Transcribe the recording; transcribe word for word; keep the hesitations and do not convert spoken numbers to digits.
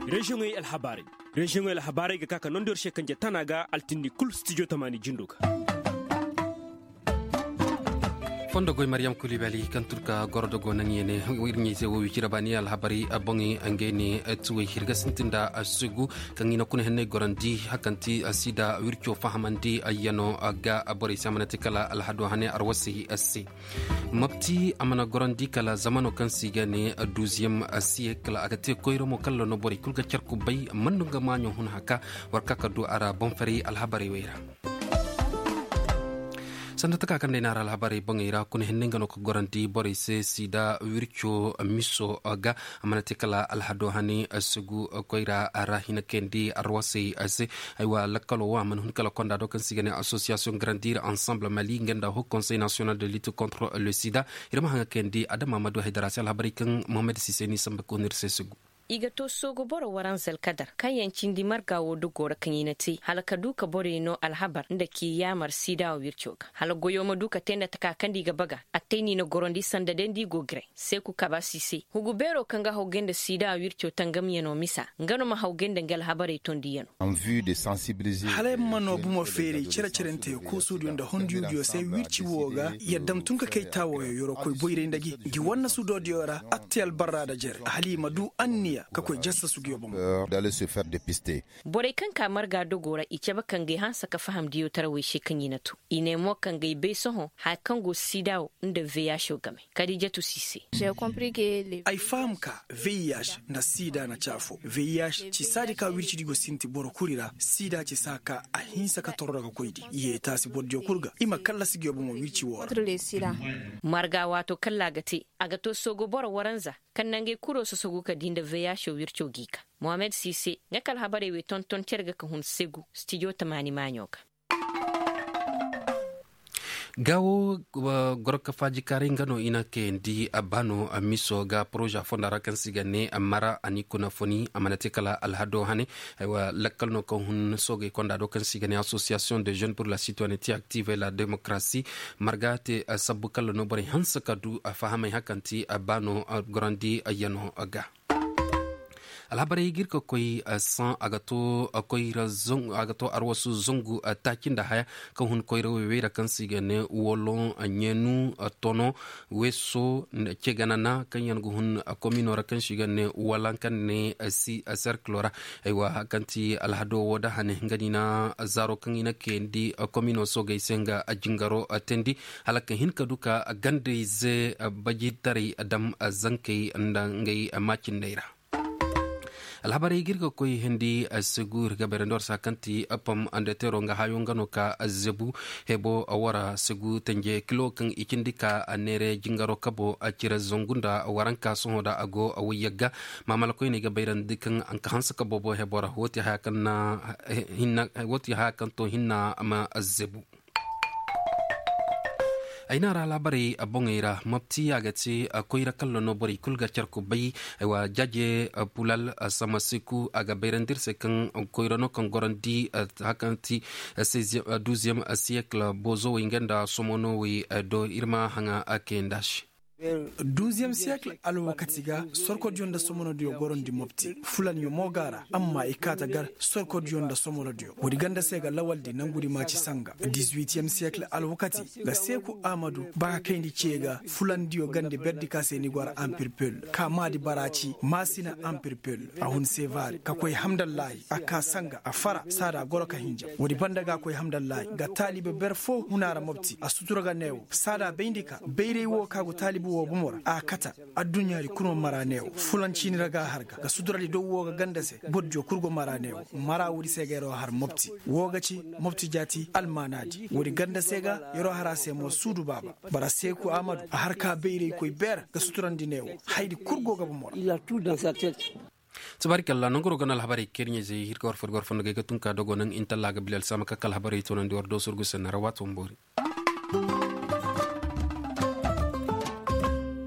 Reziyoŋey alhabaarey. Reziyoŋey alhabaarey ga ka ka nondor se kanje tana ga altindi kulu studio tamaani jindo ga. Fondo goy mariyam kulibali kaŋ turka goro da go naŋ yene. Iri ɲayze wo wicira baani alhabarey boŋey ngey ne tuwey hirga sintin da sugu kaŋ i na kuna henney gorandi hakanti sida wirco fahamandi ayyano ga borey se a mana te kala alhado hane arwasey se. Mopti a mana gorandi kala zamano kaŋ se i ga ne duuziyem siyekal a ga te koyra mo kala no borey kulu ga care kubbay man no nga maaɲo hun haka. War ka ka du a ra boŋ faray alhabarey wey ra. Sanda taka kaŋ day no a ra alhabarey boŋey ra kuna hinne nga no ka gorandi borey se sida wirco miso ga a mana te kala alhado hani sugu koyra a ra hina kayandi arwasey se. Aywa lakkalo wo a mana hun kala konda do kaŋ se i ga ne association grandir ensemble mali nga nda haut conseil national de lutte contre le sida. Iri ma haŋa kayandi adama ma du haydara se alhabarey kaŋ mohammed sise ni samba ka hun iri se sugu. I ga to soogu boro waranza alkadar kaŋ yaŋ cindi marga wo dogo ra kaŋ i na te hala ka du ka borey no alhabar nda ci yaamar sida wo wirco ga hala goyo ma du ka te nda taka kaŋ da i ga baga. Attay no i na gorandi sanda day nda i go gray seeku kabasi se hugu beero kaŋ ga hawgay nda sida wo wirco tangamyano misa nga no ma hawgay nda nga alhabarey tondiyano. Hala ay ma no bumo feeri cere-cerente koosudiyo nda hondiyodiyo se wirci wo ga yadda ma tun ka kay taawoyo yoro koy boyray nda gi gi wanna sudoodiyo ra. Atte albarra nda jere hala i ma du anniya ka koy jassasugiyo boŋ. Borey kaŋ ka marga dogo ra i cabe kangey hanse ka faham diyotarawey se kaŋ i na to i ne mo kangey bay sohõ haya kaŋ go sida wo nda veyaso game. Kadijatu si se. Ay faham ka veyaso nda sida na caafo veyaso ci saadi ka wirci di go sinti boro kuri ra sida ci saa ka a hinse ka toro daga koy di yeetaasi boro diyo kulu ga i ma kallasi ga yobo mo wirci wo ra. Marga waato kalla ga te a ga to soogo boro waranza kaŋ nangey kuro sosogu ka di nda veyaso wirco gi ka mohammed si se nga kala habarey wey tonton care ga ka hun segu stijo tamaani maaɲo ga. Gaawo gorokafaaji kaaray nga no i na kayandi a baano a miso ga poroza fonda ra kaŋ se i ga ne a mara a ni kuna foni a mana te kala alhado hane. Lakkal no kaŋ hun soogay konda do kaŋ se i ga ne association de jeune pour la citoyenneté active et la démocratie marga te sabbu kala no borey hanse ka du a fahamay hakanti a baano gorandi yano ga. Alhabarey ga iri ga koy san a ga to koyra a ga to arwasu zangu taaci nda haya kaŋ hun koyra wey wey ra kaŋ se i ga ne wolon ɲeenu tono weeso ceganana kaŋ yaŋ ga hun komino ra kaŋ se i ga ne walanka ne si serkilo ra. Aywa kaŋ ti alhado wo da hane nga ni na zaaro kaŋ i na kayandi komino soogay se nga jingaro teendi hala ka hin ka du ka gandayze bajitaray dam zankey nda ngey maacinday ra. Alhabarey ga iri ga koy hindi segu iri ga bayrandi war se kaŋ ti pom andeteero nga hayo nga no ka zebu hebo wara segu tanje kilo kaŋ i cindi ka neere jingaro kabo cire zangu nda waranka sohõ da a go wayyagga. Maamala koyne ga bayrandi kaŋ a ga hanse ka boobo hebo ra woote haya kaŋ to hinna ma zebu. Ay no a ra laabarey boŋey ra mopti a ga te koyra kaŋ ra no borey kulu ga care kubay. Jaaje pulal samasiku a ga bayrandi iri se kaŋ koyra no kaŋ gorandi hakanti duuziyem siyekil boozowey nga nda somonowey do iri ma haŋa kayanda se. Duuziyem siyekil alwakati ga sorkodiyo nda somonodiyo gorandi mopti fulanyo mo ga a ra amma i kaata gar sorkodiyo nda somonodiyo woodi ganda se ga lawaldi nangudi maaci sanga. Dizuwitiyem siyekil alwakati ga seeku ahmadu ba ka kayndi ce ga fulandiyo gande berdi ka se ni go a ra ampirpel ka maadi baraaci maasina ampirpel a hun seevaari ka koy hamdallaahi a ka sanga a fara saada goro ka hinja woodi banda ga koy hamdallaahi ga taalibe ber fo hun a ra mopti a sutura ga neewo saada bayndi ka bayray wo ka go taalibi wo bomo ra a kata. Adduɲɲaari kulu ma mara neewo fulan ciini ra ga a har ga ga suduradi dow wo ga ganda se bordiyo kulu go mara neewo mara woodi se ga yaraw har mopti wo ga ci mopti jaati almaanaadi woodi ganda se ga yaraw har a se mo suudu baaba bara seeku ahmadu a har ka bayraykoy beera ga suturandi neewo hayadi kulu go ga bomo ra. Tabaarikalla nangu ro ga no alhabarey kaŋ iri ɲayzey iri ga war fo iri ga war fondo ga ay ga tun ka dogo naŋ intalla ga bilal sama ka kala alhabarey toonandi war do sorgu se nda ra waato ma boori.